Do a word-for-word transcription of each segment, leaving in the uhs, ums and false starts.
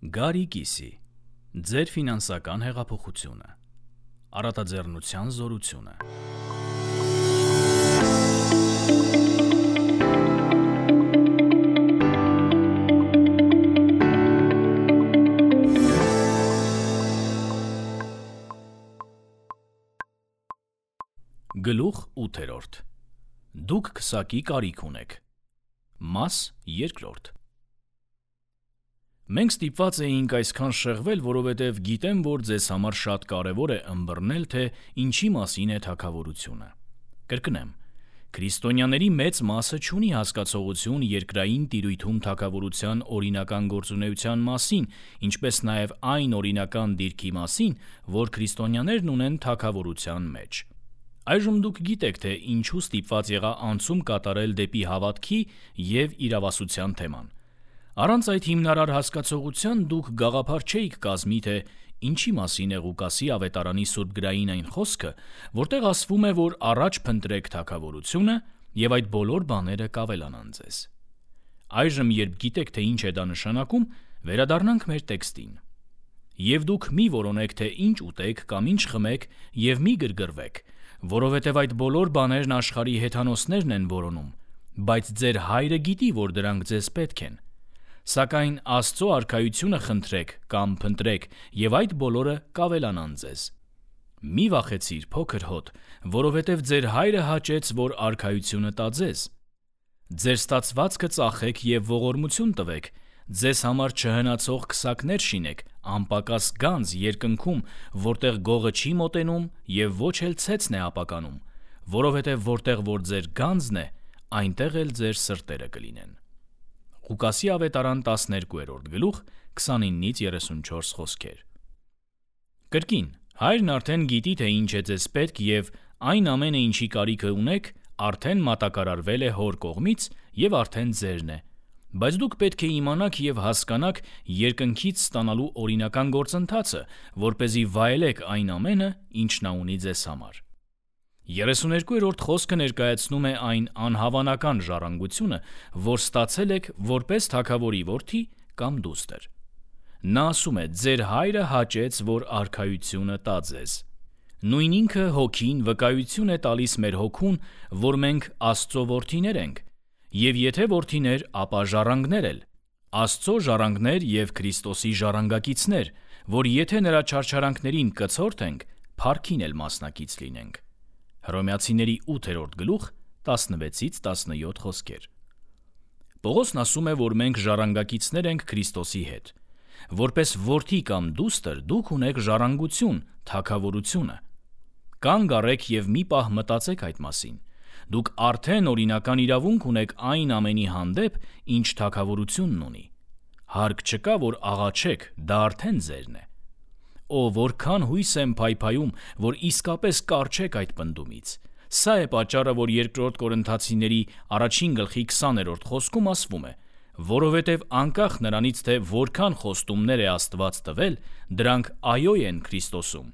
Գարի կիսի, ձեր ֆինանսական հեղափոխությունը, առատաձեռնության զորությունը։ Գլուխ ութերորդ. Դուք քսակի կարիք ունեք։ Մաս երկրորդ. Մենք ստիպված էինք այսքան շեղվել, որովհետև գիտեմ, որ ձեզ համար շատ կարևոր է ըմբռնել, թե ինչի մասին է թագավորությունը։ Կրկնեմ, քրիստոնյաների մեծ մասը չունի հասկացողություն երկրային տիրույթում թագավորության օրինական գործունեության մասին, ինչպես նաև այն օրինական դիրքի մասին, որ քրիստոնյաներն ունեն թագավորության մեջ։ Այժմ դուք գիտեք, թե ինչու ստիպված եղա անցում կատարել դեպի հավատքի և իրավասության թեման։ Առանց այդ հիմնարար հասկացողության դուք գաղափար չէիք կազմի, թե ինչի մասին է Ղուկասի ավետարանի սուրբգրային այն խոսքը, որտեղ ասվում է, որ առաջ փնտրեք թագավորությունը և այդ բոլոր բաները կավելանան ձեզ։ Այժմ, երբ գիտեք, թե ինչ է դա նշանակում, վերադառնանք մեր տեքստին։ Եվ դուք մի որոնեք, թե ինչ ուտեք կամ ինչ խմեք, և մի գրգռվեք, որովհետև այդ բոլոր բաներն աշխարհի հեթանոսներն են որոնում, բայց ձեր հայրը գիտի, որ դրանք ձեզ պետք են։ Սակայն Աստծո արքայությունը խնդրեք կամ փնտրեք, և այդ բոլորը կավելանան ձեզ։ Մի վախեցիր, փոքր հոտ, որովհետև ձեր հայրը հաճեց, որ արքայությունը տա ձեզ։ Ձեր ստացվածքը ծախեք և ողորմություն տվեք, ձեզ համար չհնացող քսակներ շինեք, անպակաս գանձ երկնքում, որտեղ գողը չի մոտենում և ոչ էլ ցեցն է ապականում, որովհետև որտեղ որ ձեր գանձն է, այնտեղ էլ ձեր սրտերը կլինեն։ Ղուկասի ավետարան տասներկուերորդ գլուխ քսանինից երեսունչորս խոսքեր։ Կրկին, հայրն արդեն գիտի, թե ինչ է ձեզ պետք և այն ամենը, ինչի կարիքը ունեք, արդեն մատակարարվել է հոր կողմից և արդեն ձերն է։ Բայց դուք պետք է իմանաք և հասկանաք երկնքից ստանալու օրինական գործընթացը, որպեսզի վայելեք այն ամենը, ինչ նա ունի ձեզ համար։ երեսուներկուերորդ խոսքը ներկայացնում է այն անհավանական ժառանգությունը, որ ստացել եք որպես թագավորի որդի կամ դուստր։ Նա ասում է. «Ձեր հայրը հաճեց, որ արքայությունը տա ձեզ»։ Նույն ինքը հոգին վկայություն է տալիս մեր հոգուն, որ մենք Աստծո որդիներ ենք, և եթե որդիներ, ապա ժառանգներ էլ, Աստծո ժառանգներ և Քրիստոսի ժառանգակիցներ, որ եթե նրա չարչարանքներին կցորդենք, փառքին էլ մասնակից լինենք։ Հռոմեացիների ութերորդ գլուխ տասնվեցից տասնյոթ խոսքեր։ Պողոսն ասում է, որ մենք ժառանգակիցներ ենք Քրիստոսի հետ։ Որպես որդի կամ դուստր դուք ունեք ժառանգություն, թագավորությունը։ Կանգ առեք և մի պահ մտածեք այդ մասին։ Դուք արդեն օրինական իրավունք ունեք այն ամենի հանդեպ, ինչ թագավորությունն ունի։ Հարկ չկա, որ աղաչեք, դա արդեն ձերն է։ Օ, որքան հույս եմ փայփայում, որ իսկապես կառչեք այդ պնդումից։ Սա է պատճառը, որ երկրորդ Կորինթացիների առաջին գլխի քսաներորդ խոսքում ասվում է. որովհետև անկախ նրանից, թե որքան խոստումներ է Աստված տվել, դրանք այո են Քրիստոսում,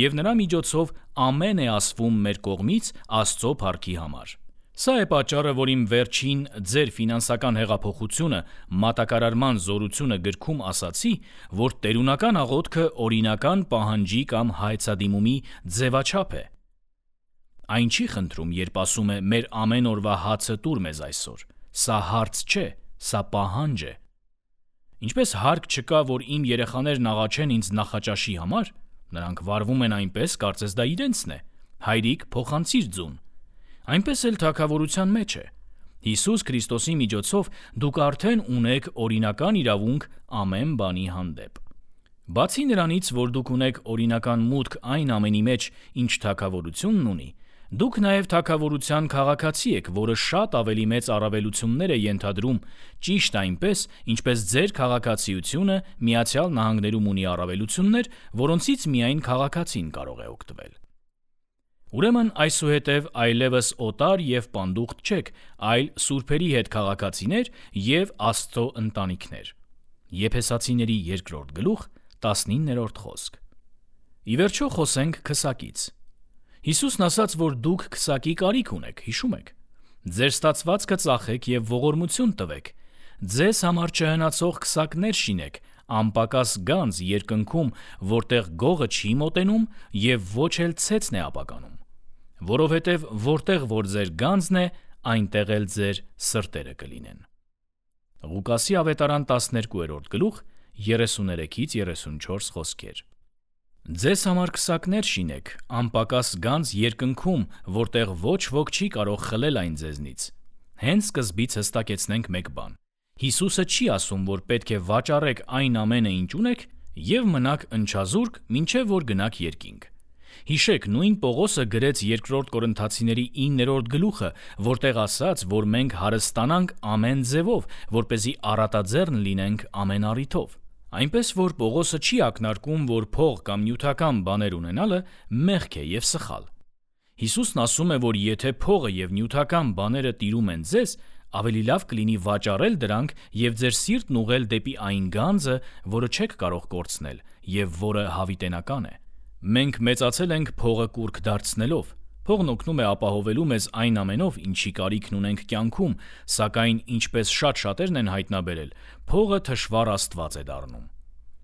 և նրա միջոցով ամեն է ասվում մեր կողմից Աստծո փառքի համար։ Սա է պատճառը, որ իմ վերջին ձեր ֆինանսական հեղափոխությունը մատակարարման զորությունը գրքում ասացի, որ տերունական աղոթքը օրինական պահանջի կամ հայցադիմումի ձևաչափ է։ Այն չի խնդրում, երբ ասում է մեր ամեն օրվա հացը տուր մեզ այսօր։ Սա հարց չէ, սա պահանջ է։ Ինչպես հարկ չկա, որ իմ երեխաներն աղաչեն ինձ նախաճաշի համար, նրանք վարվում են այնպես, կարծես դա իրենցն է։ Հայրիկ, փոխանցիր ձուն։ Այնպես էլ թագավորության մեջ է։ Հիսուս Քրիստոսի միջոցով դուք արդեն ունեք օրինական իրավունք ամեն բանի հանդեպ։ Բացի նրանից, որ դուք ունեք օրինական մուտք այն ամենի մեջ, ինչ թագավորությունն ունի, դուք նաև թագավորության քաղաքացի եք, որը շատ ավելի մեծ առավելություններ է ենթադրում, ճիշտ այնպես, ինչպես ձեր քաղաքացիությունը Միացյալ Նահանգներում ունի առավելություններ, որոնցից միայն քաղաքացին կարող է օգտվել։ Ուրեմն այսուհետև այլևս օտար և պանդուխտ չեք, այլ սուրբերի հետ քաղաքացիներ և Աստծո ընտանիքներ։ Եփեսացիների երկրորդ գլուխ տասնիններորդ խոսք։ Ի վերջո խոսենք քսակից։ Հիսուսն ասաց, որ դուք քսակի կարիք ունեք, հիշում եք։ Ձեր ստացվածքը ծախեք և ողորմություն տվեք, ձեզ համար չհնացող քսակներ շինեք, անպակաս գանձ երկնքում, որտեղ գողը չի մոտենում և ոչ էլ ցեցն է ապականում, որովհետև որտեղ որ ձեր գանձն է, այնտեղ էլ ձեր սրտերը կլինեն։ Ղուկասի ավետարան տասներկուերորդ գլուխ երեսուներեքից երեսունչորս խոսքեր։ Ձեզ համար քսակներ շինեք, անպակաս գանձ երկնքում, որտեղ ոչ ոք չի կարող խլել այն ձեզնից։ Հենց սկզբից հստակեցնենք մեկ բան. Հիսուսը չի ասում, որ պետք է վաճառեք այն ամենը, ինչ ունեք, և մնաք ընչազուրկ, մինչև որ գնաք երկինք։ Հիշեք, նույն Պողոսը գրեց երկրորդ Կորինթացիների իններորդ գլուխը, որտեղ ասաց, որ մենք հարստանանք ամեն ձևով, որպեսզի առատաձեռն լինենք ամեն առիթով։ Այնպես որ Պողոսը չի ակնարկում, որ փող կամ նյութական բաներ ունենալը մեղք է և սխալ։ Հիսուսն ասում է, որ եթե փողը և նյութական բաները տիրում են ձեզ, ավելի լավ կլինի վաճառել դրանք և ձեր սիրտն ուղղել դեպի այն գանձը, որը չեք կարող կորցնել և որը հավիտենական է։ Մենք մեծացել ենք փողը կուռք դարձնելով։ Փողն օգնում է ապահովելու մեզ այն ամենով, ինչի կարիքն ունենք կյանքում, սակայն ինչպես շատ շատերն են հայտնաբերել, փողը թշվառ աստված է դառնում։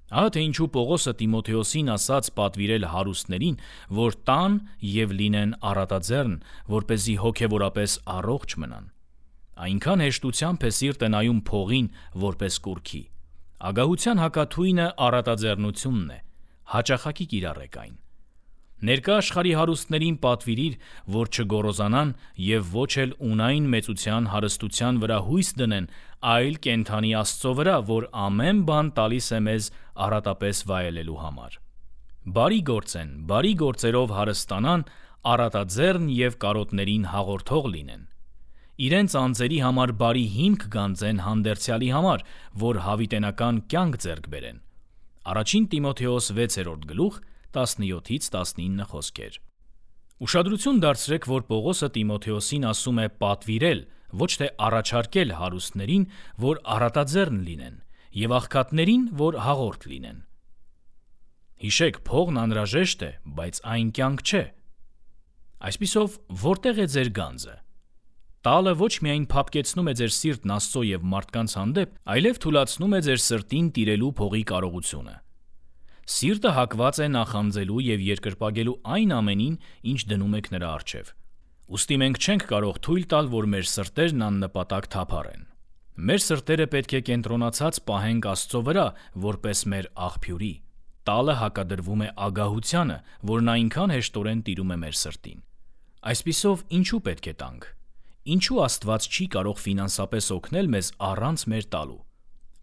Ահա թե ինչու Պողոսը Տիմոթեոսին ասաց պատվիրել հարուստներին, որ տան և լինեն առատաձեռն, որպեսզի հոգևորապես առողջ մնան։ Այնքան հեշտությամբ է սիրտը նայում փողին որպես կուռքի։ Ագահության հակաթույնը առատաձեռնությունն է, հաճախակի կիրառեք այն։ Ներկա աշխարհի հարուստներին պատվիրիր, որ չգոռոզանան և ոչ էլ ունային մեծության հարստության վրա հույս դնեն, այլ կենդանի Աստծո վրա, որ ամեն բան տալիս է մեզ առատապես վայելելու համար։ Բարի գործեն, բարի գործերով հարստանան, առատաձեռն և կարոտներին հաղորդող լինեն։ Իրենց անձերի համար բարի հիմք գանձեն հանդերձյալի համար, որ հավիտենական կյանք ձեռք բերեն։ Առաջին Տիմոթեոս վեցերորդ գլուխ տասնյոթից տասնինը խոսքեր։ Ուշադրություն դարձրեք, որ Պողոսը Տիմոթեոսին ասում է պատվիրել, ոչ թե առաջարկել հարուստներին, որ առատաձեռն լինեն, և աղքատներին, որ հաղորդ լինեն։ Հիշեք, փողն անհրաժեշտ է, բայց այն կյանք չէ։ Այսպիսով, որտեղ է ձեր գանձը։ Տալը ոչ միայն փափկեցնում է ձեր սիրտն Աստծո և մարդկանց հանդեպ, այլև թուլացնում է ձեր սրտին տիրելու փողի կարողությունը։ Սիրտը հակված է նախանձելու և երկրպագելու այն ամենին, ինչ դնում եք նրա առջև։ Ուստի մենք չենք կարող թույլ տալ, որ մեր սրտերն աննպատակ թափառեն։ Մեր սրտերը պետք է կենտրոնացած պահենք Աստծո վրա, որպես մեր աղբյուրի։ Տալը հակադրվում է ագահությանը, որն այնքան հեշտորեն տիրում է մեր սրտին։ Այսպիսով, ինչու պետք է տանք։ Ինչու Աստված չի կարող ֆինանսապես օգնել մեզ առանց մեր տալու։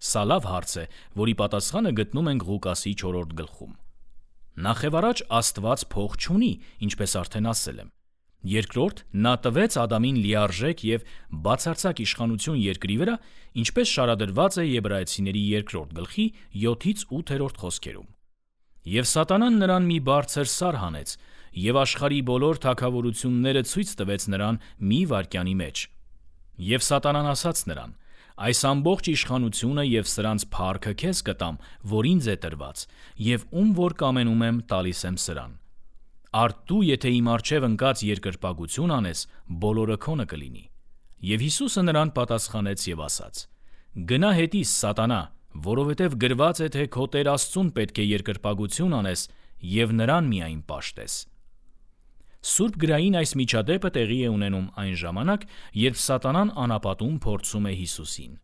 Սա լավ հարց է, որի պատասխանը գտնում ենք Ղուկասի չորրորդ գլխում։ Նախևառաջ Աստված փող չունի, ինչպես արդեն ասել եմ։ Երկրորդ, նա տվեց Ադամին լիարժեք և բացարձակ իշխանություն երկրի վրա, ինչպես շարադրված է Եբրայեցիների երկրորդ գլխի յոթից ութերորդ խոսքերում։ Եվ սատանան նրան մի բարձր սար հանեց, և աշխարհի բոլոր թագավորությունները ցույց տվեց նրան մի վայրկյանի մեջ։ Եվ սատանան ասաց նրան. այս ամբողջ իշխանությունը և սրանց փառքը քեզ կտամ, որ ինձ է տրված, և ում որ կամենում եմ, տալիս եմ սրան։ Արդ դու, եթե իմ առջև ընկած երկրպագություն անես, բոլորը քոնը կլինի։ Եվ Հիսուսը նրան պատասխանեց և ասաց. գնա հետիս, սատանա, որովհետև գրված է, թե քո Տեր Աստծուն պետք է երկրպագություն անես և նրան միայն պաշտես։ Սուրբ գրային այս միջադեպը տեղի է ունենում այն ժամանակ, երբ սատանան անապատում փորձում է Հիսուսին։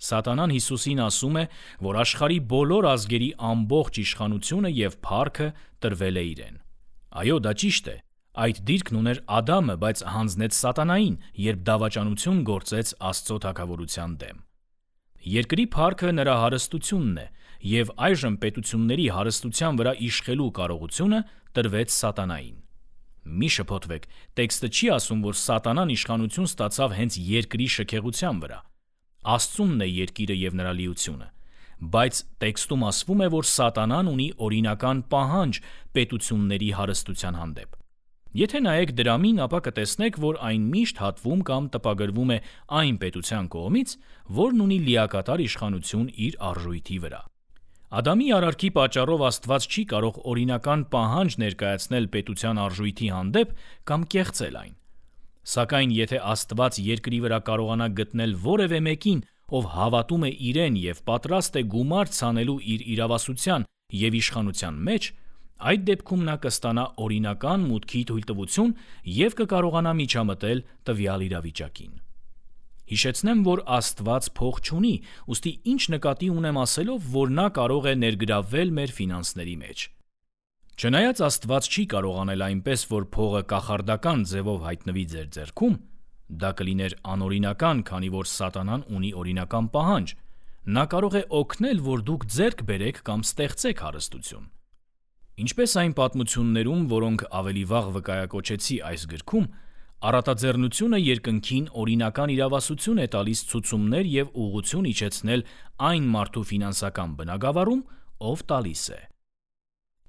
Սատանան Հիսուսին ասում է, որ աշխարհի բոլոր ազգերի ամբողջ իշխանությունը և փառքը տրվել է իրեն։ Այո, դա ճիշտ է։ Այդ դիրքն ուներ Ադամը, բայց հանձնեց սատանային, երբ դավաճանություն գործեց Աստծո թագավորության դեմ։ Երկրի փառքը նրա հարստությունն է, և այժմ պետությունների հարստության վրա իշխելու կարողությունը տրվեց սատանային։ Մի շփոթվեք, տեքստը չի ասում, որ սատանան իշխանություն ստացավ հենց երկրի շքեղության վրա։ Աստծունն է երկիրը և նրա լիությունը, բայց տեքստում ասվում է, որ սատանան ունի օրինական պահանջ պետությունների հարստության հանդեպ։ Եթե նայեք դրամին, ապա կտեսնեք, որ այն միշտ հատվում կամ տպագրվում է այն պետության կողմից, որն ունի լիակատար իշխանություն իր արժույթի վրա։ Ադամի արարքի պատճառով Աստված չի կարող օրինական պահանջ ներկայացնել պետության արժույթի հանդեպ կամ կեղծել այն։ Սակայն եթե Աստված երկրի վրա կարողանա գտնել որևէ մեկին, ով հավատում է իրեն եւ պատրաստ է գումար ցանելու իր իրավասության եւ իշխանության մեջ, այդ դեպքում նա կստանա օրինական մուտքի թույլտվություն եւ կկարողանա միջամտել տվյալ իրավիճակին։ Հիշեցնեմ, որ Աստված փող չունի, ուստի ինչ նկատի ունեմ ասելով, որ նա կարող է ներգրավվել մեր ֆինանսների մեջ։ Չնայած Աստված չի կարող անել այնպես, որ փողը կախարդական ձևով հայտնվի ձեր ձեռքում, դա կլիներ անօրինական, քանի որ Սատանան ունի օրինական պահանջ, նա կարող է օգնել, որ դուք ձեռք բերեք կամ ստեղծեք հարստություն։ Ինչպես այն պատմություններում, որոնք ավելի վաղ վկայակոչեցի այս գրքում, առատաձեռնությունը երկնքին օրինական իրավասություն է տալիս ցուցումներ եւ ուղղություն իջեցնել այն մարդու ֆինանսական բնագավառում, ով տալիս է։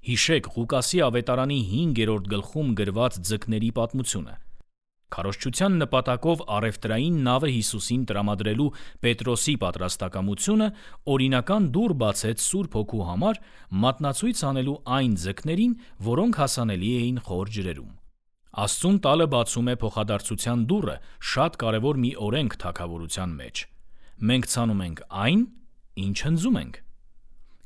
Հիշեք Ղուկասի ավետարանի հինգերորդ գլխում գրված ձկների պատմությունը։ Քարոզչության նպատակով առևտրային նավը Հիսուսին տրամադրելու Պետրոսի պատրաստակամությունը օրինական դուռ բացեց Սուրբ Հոգու համար մատնացույց անելու այն ձկներին, որոնք հասանելի էին խոր ջրերում։ Աստծուն տալը բացում է փոխադարձության դուռը, շատ կարևոր մի օրենք թագավորության մեջ։ Մենք ցանում ենք այն, ինչ հնձում ենք։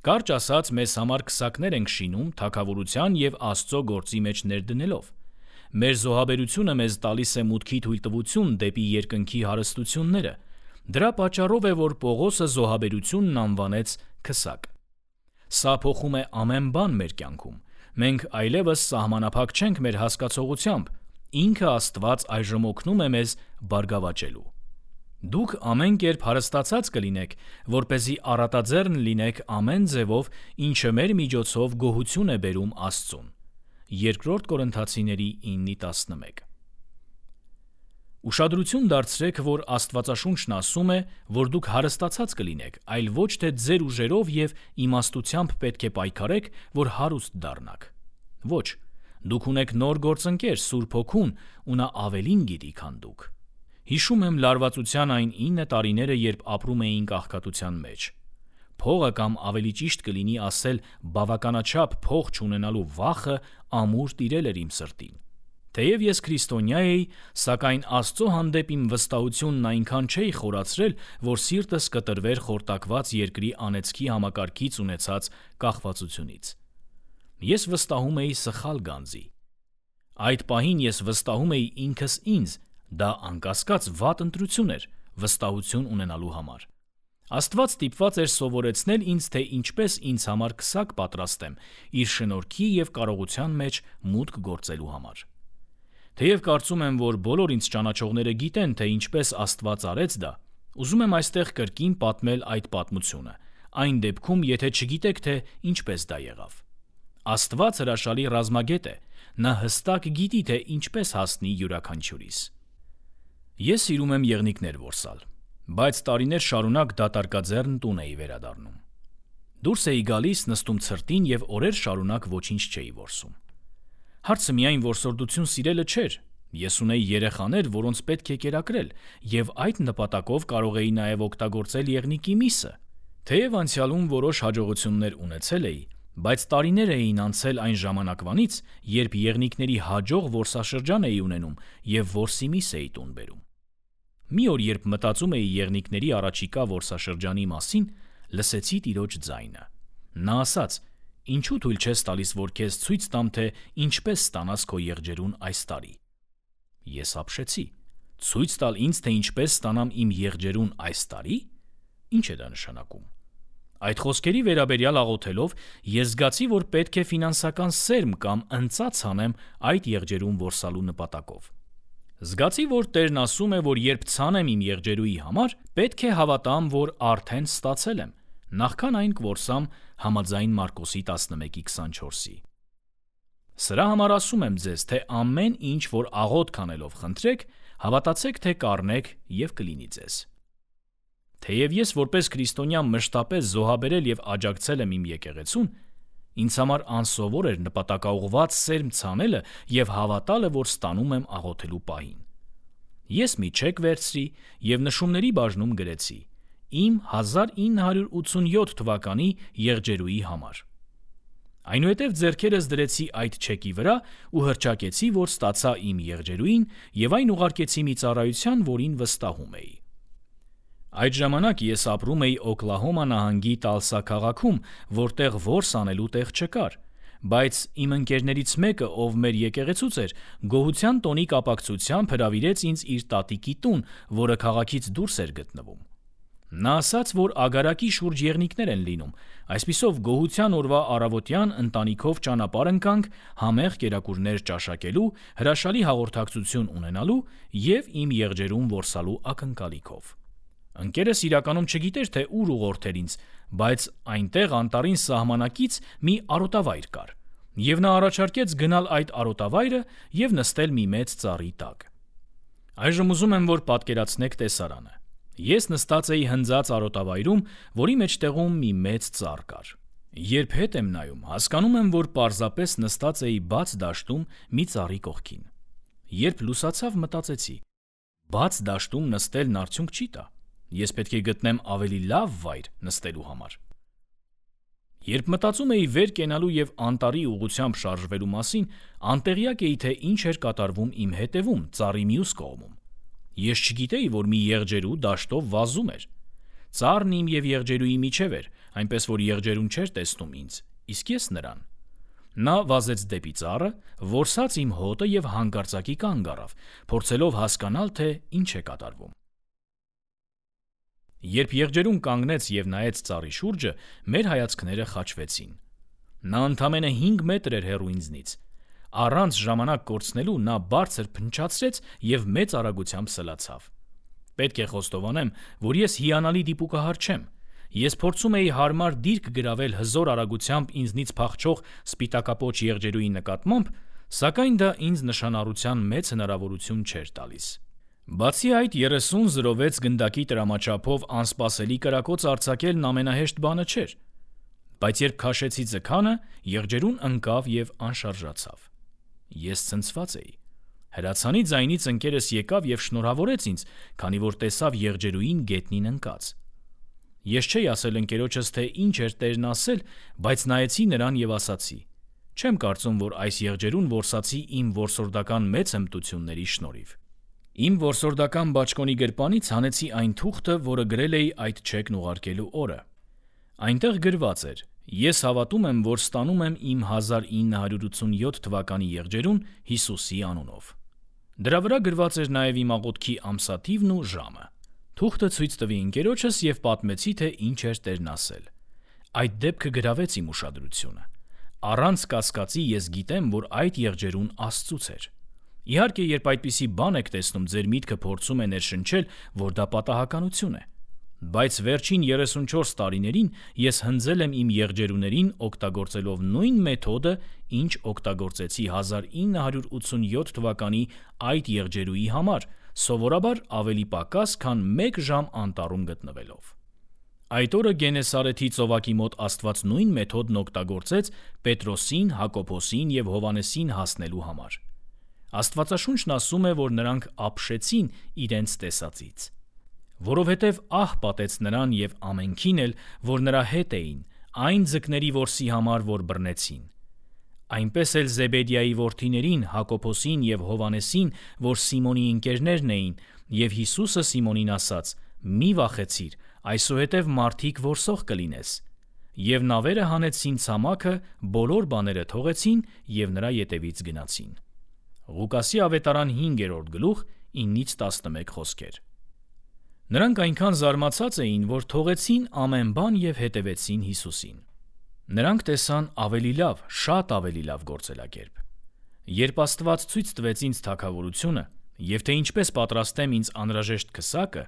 Կարճ ասած, մեզ համար քսակներ ենք շինում թագավորության եւ Աստծո գործի մեջ ներդնելով։ Մեր զոհաբերությունը մեզ տալիս է մուտքի թույլտվություն դեպի երկնքի հարստությունները։ Դրա պատճառով է, որ Պողոսը զոհաբերությունն անվանեց քսակ։ Սա փոխում է ամեն բան մեր կյանքում։ Մենք այլևս սահմանափակ չենք մեր հասկացողությամբ, ինքը Աստված այժմ օգնում է մեզ բարգավաճելու։ Դուք ամեն կերպ հարստացած կլինեք, որպեսզի առատաձեռն լինեք ամեն ձևով, ինչը մեր միջոցով գոհություն է բերում Աստծուն։ Երկրորդ Կորինթացիների ինը տասնմեկ։ Ուշադրություն դարձրեք, որ Աստվածաշունչն ասում է, որ դուք հարստացած կլինեք, այլ ոչ թե ձեր ուժերով եւ իմաստությամբ պետք է պայքարեք, որ հարուստ դառնաք։ Ոչ, դուք ունեք նոր գործընկեր Սուրբ Հոգուն, ու նա ավելին գիտի, քան դուք։ Հիշում եմ լարվածության այն ինը տարիները, երբ ապրում էինք աղքատության մեջ։ Փողը կամ ավելի ճիշտ կլինի ասել բավականաչափ փող չունենալու վախը ամուր տիրել էր իմ սրտին։ Թեև ես քրիստոնյա էի, սակայն Աստծո հանդեպ իմ վստահությունն այնքան չէի խորացրել, որ սիրտս կտրվեր խորտակված երկրի անեծքի համակարգից ունեցած կախվածությունից։ Ես վստահում էի սխալ գանձի։ Այդ պահին ես վստահում էի ինքս ինձ, դա անկասկած վատ ընտրություն էր վստահություն ունենալու համար։ Աստված ստիպված էր սովորեցնել ինձ, թե ինչպես ինձ համար քսակ պատրաստեմ իր շնորհքի եւ կարողության մեջ մուտք գործելու համար։ Թեև կարծում եմ, որ բոլոր ինձ ճանաչողները գիտեն, թե ինչպես Աստված արեց դա, ուզում եմ այստեղ կրկին պատմել այդ պատմությունը, այն դեպքում, եթե չգիտեք, թե ինչպես դա եղավ։ Աստված հրաշալի ռազմագետ է, նա հստակ գիտի, թե ինչպես հասնի յուրաքանչյուրիս։ Ես սիրում եմ եղնիկներ որսալ, բայց տարիներ շարունակ դատարկաձեռն տուն էի վերադառնում։ Դուրս էի գալիս, նստում ցրտին եւ օրեր շարունակ ոչինչ չէի որսում։ Հարցը միայն որսորդություն սիրելը չէր։ Ես ունեի երեխաներ, որոնց պետք է կերակրել, եւ այդ նպատակով կարող էի նաեւ օգտագործել եղնիկի միսը։ Թեև անցյալում որոշ հաջողություններ ունեցել էի, բայց տարիներ էին անցել այն ժամանակվանից, երբ եղնիկների հաջող որսաշրջան էի ունենում եւ որսի միս էի տուն բերում։ Մի օր, երբ մտածում էի եղնիկների առաջիկա որսաշրջանի մասին, լսեցի Տիրոջ ձայնը։ Նա ասաց. «Ինչու թույլ չես տալիս, որ քեզ ցույց տամ, թե ինչպես ստանաս քո եղջերուն այս տարի»։ Ես ապշեցի. ցույց տալ ինձ, թե ինչպես ստանամ իմ եղջերուն այս տարի։ Ինչ է դա նշանակում։ Այդ խոսքերի վերաբերյալ աղոթելով, ես զգացի, որ պետք է ֆինանսական սերմ կամ ընծաց անեմ այդ եղջերուն որսալու նպատակով։ Զգացի, որ Տերն ասում է, որ երբ ցանեմ իմ եղջերուի համար, պետք է հավատամ, որ արդեն ստացել եմ, նախքան այն կորսամ համաձայն Մարկոսի տասնմեկի քսանչորսի։ Սրա համար ասում եմ ձեզ, թե ամեն ինչ, որ աղոթք անելով խնդրեք, հավատացեք, թե կառնեք եւ կլինի ձեզ։ Թեև ես որպես քրիստոնյա մշտապես զոհաբերել եւ աջակցել եմ իմ եկեղեցուն, ինձ համար անսովոր էր նպատակաուղղված սերմ ցանելը եւ հավատալը, որ ստանում եմ աղոթելու պահին։ Ես մի չեք վերցրի եւ նշումների բաժնում գրեցի. իմ հազար ինը հարյուր ութսունյոթ թվականի եղջերուի համար։ Այնուհետև ձեռքերս դրեցի այդ չեկի վրա ու հռչակեցի, որ ստացա իմ եղջերուին եւ այն ուղարկեցի մի ծառայության, որին վստահում էի։ Այդ ժամանակ ես ապրում էի Օկլահոմա նահանգի Տալսա քաղաքում, որտեղ որս անելու տեղ չկար, բայց իմ ընկերներից մեկը, ով մեր եկեղեցուց էր, գոհության տոնի կապակցությամբ հրավիրեց ինձ իր տատիկի տուն, որը քաղաքից դուրս էր գտնվում։ Նա ասաց, որ ագարակի շուրջ եղնիկներ են լինում, այսպիսով գոհության օրվա առավոտյան ընտանիքով ճանապարհ ընկանք համեղ կերակուրներ ճաշակելու, հրաշալի հաղորդակցություն ունենալու և իմ եղջերուն որսալու ակնկալիքով։ Ընկերս իրականում չգիտեր, թե ուր ուղղորդեր ինձ, բայց այնտեղ անտառին սահմանակից մի արոտավայր կար, և նա առաջարկեց գնալ այդ արոտավայրը և նստել մի մեծ ծառի տակ։ Այժմ ուզում եմ, որ պատկերացնեք տեսարանը։ Ես նստած էի հնձած արոտավայրում, որի մեջտեղում մի մեծ ծառ կար։ Երբ հետ եմ նայում, հասկանում եմ, որ պարզապես նստած էի բաց դաշտում մի ծառի կողքին։ Երբ լուսացավ, մտածեցի. բաց դաշտում նստելն արդյունք չի տա։ Ես պետք է գտնեմ ավելի լավ վայր նստելու համար։ Երբ մտածում էի վեր կենալու և անտառի ուղղությամբ շարժվելու մասին, անտեղյակ էի, թե ինչ էր կատարվում իմ հետևում, ծառի մյուս կողմում։ Ես չգիտեի, որ մի եղջերու դաշտով վազում էր։ Ծառն իմ և եղջերուի միջև էր, այնպես որ եղջերուն չէր տեսնում ինձ, իսկ ես նրան։ Նա վազեց դեպի ծառը, որսաց իմ հոտը և հանկարծակի կանգ առավ, փորձելով հասկանալ, թե ինչ է կատարվում։ Երբ եղջերուն կանգնեց և նայեց ծառի շուրջը, մեր հայացքները խաչվեցին։ Նա ընդամենը հինգ մետր էր հեռու ինձնից։ Առանց ժամանակ կորցնելու նա բարձր փնչացրեց և մեծ արագությամբ սլացավ։ Պետք է խոստովանեմ, որ ես հիանալի դիպուկահար չեմ։ Ես փորձում էի հարմար դիրք գրավել հզոր արագությամբ ինձնից փախչող սպիտակապոչ եղջերուի նկատմամբ, սակայն դա ինձ նշանառության մեծ հնարավորություն չէր տալիս։ Բացի այդ, երեսուն զրո վեց գնդակի տրամաչափով անսպասելի կրակոց արձակելն ամենահեշտ բանը չէր։ Բայց երբ քաշեցի ձգանը, եղջերուն ընկավ և անշարժացավ։ Ես ցնցված էի։ Հրացանի ձայնից ընկերս եկավ և շնորհավորեց ինձ, քանի որ տեսավ եղջերուին գետնին ընկած։ Ես չէի ասել ընկերոջս, թե ինչ էր տերն ասել, բայց նայեցի նրան և ասացի. չեմ կարծում, որ այս եղջերուն որսացի իմ որսորդական մեծ հմտությունների շնորհիվ։ Իմ որսորդական բաճկոնի գրպանից հանեցի այն թուղթը, որը գրել էի այդ չեկն ուղարկելու օրը։ Այնտեղ գրված էր. ես հավատում եմ, որ ստանում եմ իմ հազար ինը հարյուր ութսունյոթ թվականի եղջերուն Հիսուսի անունով։ Դրա վրա գրված էր նաև իմ աղոթքի ամսաթիվն ու ժամը։ Թուղթը ցույց տվի ընկերոջս և պատմեցի, թե ինչ էր տերն ասել։ Այդ դեպքը գրավեց իմ ուշադրությունը։ Առանց կասկածի ես գիտեմ, որ այդ եղջերուն Աստծուց էր։ Իհարկե, երբ այդպիսի բան եք տեսնում, ձեր միտքը փորձում է ներշնչել, որ դա պատահականություն է։ Բայց վերջին երեսունչորս տարիներին ես հնձել եմ իմ եղջերուներին օգտագործելով նույն մեթոդը, ինչ օգտագործեցի հազար ինը հարյուր ութսունյոթ թվականի այդ եղջերուի համար, սովորաբար ավելի պակաս, քան մեկ ժամ անտառում գտնվելով։ Այդ օրը Գենեսարեթի ծովակի մոտ Աստված նույն մեթոդն օգտագործեց Պետրոսին, Հակոբոսին և Հովհաննեսին հասնելու համար։ Աստվածաշունչն ասում է, որ նրանք ապշեցին իրենց տեսածից։ Որովհետև ահ պատեց նրան և ամենքին էլ, որ նրա հետ էին, այն ձկների որսի համար, որ բռնեցին։ Այնպես էլ Զեբեդիայի որդիներին Հակոբոսին և Հովհաննեսին, որ Սիմոնի ընկերներն էին, և Հիսուսը Սիմոնին ասաց. «Մի վախեցիր, այսուհետև մարդիկ որսող կլինես»։ Եվ նավերը հանեցին ցամաքը, բոլոր բաները թողեցին և նրա ետևից գնացին։ Ղուկասի ավետարան հինգերորդ գլուխ ինից տասնմեկ խոսքեր։ Նրանք այնքան զարմացած էին, որ թողեցին ամեն բան և հետևեցին Հիսուսին։ Նրանք տեսան ավելի լավ, շատ ավելի լավ գործելակերպ։ Երբ Աստված ցույց տվեց ինձ թագավորությունը, և թե ինչպես պատրաստեմ ինձ անհրաժեշտ քսակը,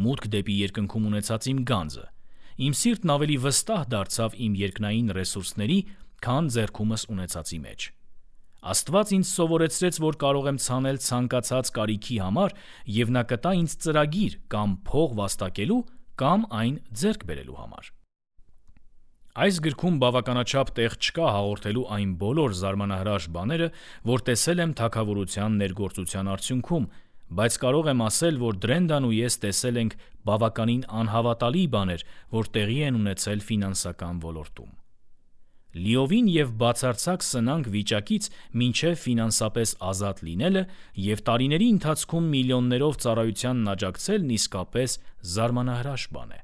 մուտք դեպի երկնքում ունեցած իմ գանձը, իմ սիրտն ավելի վստահ դարձավ իմ երկնային ռեսուրսների, քան ձեռքումս ունեցածի մեջ։ Աստված ինձ սովորեցրեց, որ կարող եմ ցանել ցանկացած կարիքի համար, և նա կտա ինձ ծրագիր կամ փող վաստակելու, կամ այն ձեռք բերելու համար։ Այս գրքում բավականաչափ տեղ չկա հաղորդելու այն բոլոր զարմանահրաշ բաները, որ տեսել եմ թագավորության ներգործության արդյունքում, բայց կարող եմ ասել, որ Դրենդան ու ես տեսել ենք բավականին անհավատալի բաներ, որ տեղի են ունեցել ֆինանսական ոլորտում։ լիովին և բացարձակ սնանկ վիճակից մինչև ֆինանսապես ազատ լինելը և տարիների ընթացքում միլիոններով ծառայությանն աջակցելն իսկապես զարմանահրաշ բան է։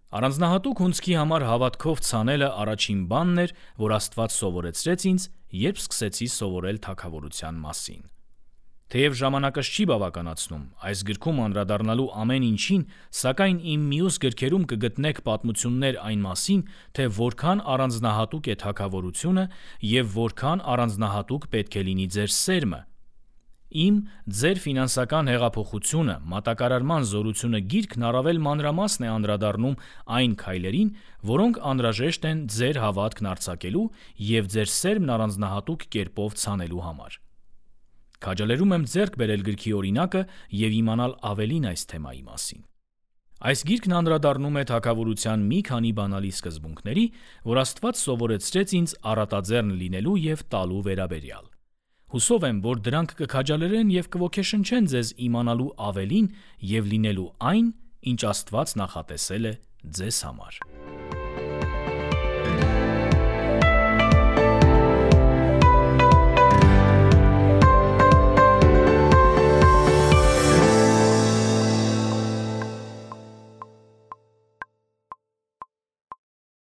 Առանձնահատուկ հունձքի համար հավատքով ցանելը առաջին բանն էր, որ Աստված սովորեցրեց ինձ, երբ սկսեցի սովորել թագավորության մասին։ Թեև ժամանակս չի բավականացնում այս գրքում անդրադառնալու ամեն ինչին, սակայն իմ մյուս գրքերում կգտնեք պատմություններ այն մասին, թե որքան առանձնահատուկ է թագավորությունը և որքան առանձնահատուկ պետք է լինի ձեր սերմը։ Իմ «Ձեր ֆինանսական հեղափոխությունը» մատակարարման զորությունը գիրքն առավել մանրամասն է անդրադառնում այն քայլերին, որոնք անհրաժեշտ են ձեր հավատքն արձակելու և ձեր սերմն առանձնահատուկ կերպով ցանելու համար։ Քաջալերում եմ ձեռք բերել գրքի օրինակը և իմանալ ավելին այս թեմայի մասին։ Այս գիրքն անդրադառնում է թագավորության մի քանի բանալի սկզբունքների, որ Աստված սովորեցրեց ինձ առատաձեռն լինելու և տալու վերաբերյալ։ Հուսով եմ, որ դրանք կքաջալերեն և կոգեշնչեն ձեզ իմանալու ավելին և լինելու այն, ինչ Աստված նախատեսել է ձեզ համար։